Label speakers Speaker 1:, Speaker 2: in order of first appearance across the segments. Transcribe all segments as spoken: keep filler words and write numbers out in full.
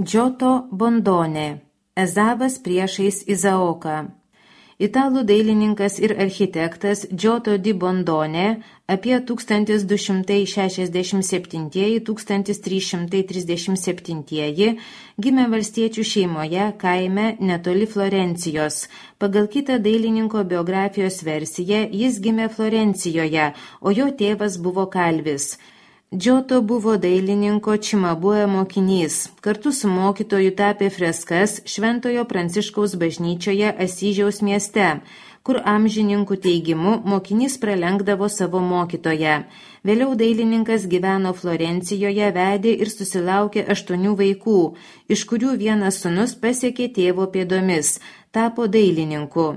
Speaker 1: Džoto Bondone, Ezavas priešais Izaoką. Italų dailininkas ir architektas Džoto di Bondone apie tūkstantis du šimtai šešiasdešimt septinti - tūkstantis trys šimtai trisdešimt septinti gimė valstiečių šeimoje kaime netoli Florencijos. Pagal kitą dailininko biografijos versiją jis gimė Florencijoje, o jo tėvas buvo kalvis. Džoto buvo dailininko Čimabue mokinys. Kartu su mokytoju tapė freskas Šventojo Pranciškaus bažnyčioje Asyžiaus mieste, kur amžininkų teigimu mokinys pralenkdavo savo mokytoją. Vėliau dailininkas gyveno Florencijoje, vedė ir susilaukė aštuonių vaikų, iš kurių vienas sūnus pasiekė tėvo pėdomis, tapo dailininku.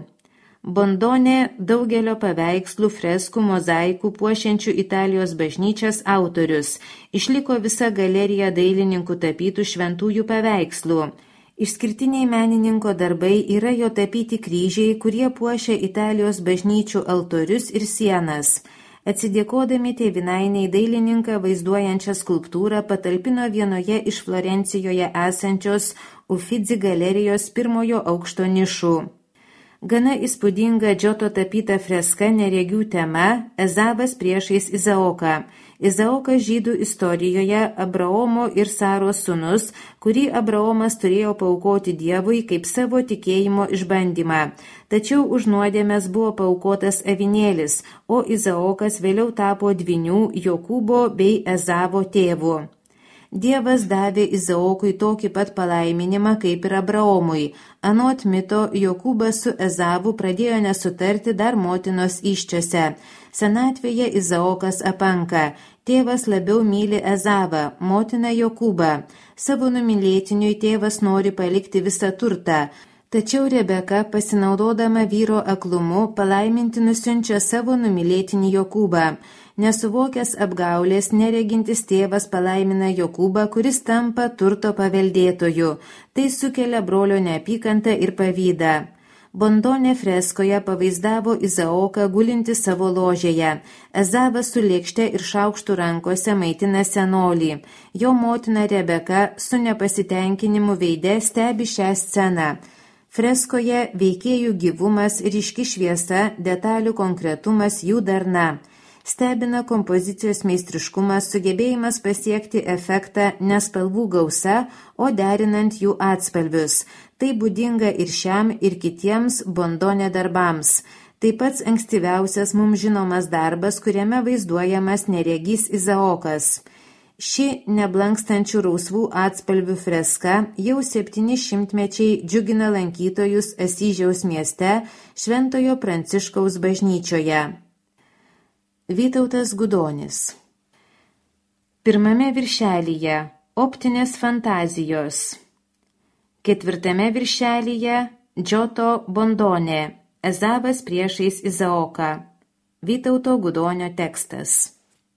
Speaker 1: Bondone daugelio paveikslų, freskų, mozaikų puošiančių Italijos bažnyčias autorius. Išliko visa galerija dailininkų tapytų šventųjų paveikslų. Išskirtiniai menininko darbai yra jo tapyti kryžiai, kurie puošia Italijos bažnyčių altorius ir sienas. Atsidėkodami tėvynainiai dailininką vaizduojančią skulptūrą patalpino vienoje iš Florencijoje esančios Uffizi galerijos pirmojo aukšto nišų. Gana įspūdinga Džoto tapyta freska neregių tema Ezavas priešais Izaoką. Izaokas žydų istorijoje Abraomo ir Saros sūnus, kurį Abraomas turėjo paaukoti Dievui kaip savo tikėjimo išbandymą. Tačiau už nuodėmes buvo paaukotas avinėlis, o Izaokas vėliau tapo dvynių Jokūbo bei Ezavo tėvu. Dievas davė Izaokui tokį pat palaiminimą kaip ir Abraomui. Anot mito, Jokūbas su Ezavu pradėjo nesutarti dar motinos įsčiose. Senatvėje Izaokas apanka. Tėvas labiau myli Ezavą, motina Jokūbą. Savo numylėtiniui tėvas nori palikti visą turtą. Tačiau Rebeka, pasinaudodama vyro aklumu, palaiminti nusiunčia savo numylėtinį Jokūbą. Nesuvokęs apgaulės, neregintis tėvas palaimina Jokūbą, kuris tampa turto paveldėtoju. Tai sukelia brolio neapykantą ir pavydą. Bondone freskoje pavaizdavo Izaoką gulinti savo ložėje. Ezavas su lėkšte ir šaukštų rankose maitina senolį. Jo motina Rebeka su nepasitenkinimu veide stebi šią sceną. Freskoje veikėjų gyvumas, ryški šviesa, detalių konkretumas, jų darna. Stebina kompozicijos meistriškumas, sugebėjimas pasiekti efektą ne spalvų gausa, o derinant jų atspalvius. Tai būdinga ir šiam, ir kitiems Bondone darbams. Tai pats ankstyviausias mums žinomas darbas, kuriame vaizduojamas neregys Izaokas. Ši neblankstančių rausvų atspalvių freska jau septyni šimtmečiai džiugina lankytojus Asyžiaus mieste Šventojo Pranciškaus bažnyčioje. Vytautas Gudonis. Pirmame viršelyje optinės fantazijos. Ketvirtame viršelyje Džoto Bondone, Ezavas priešais Izaoką. Vytauto Gudonio tekstas.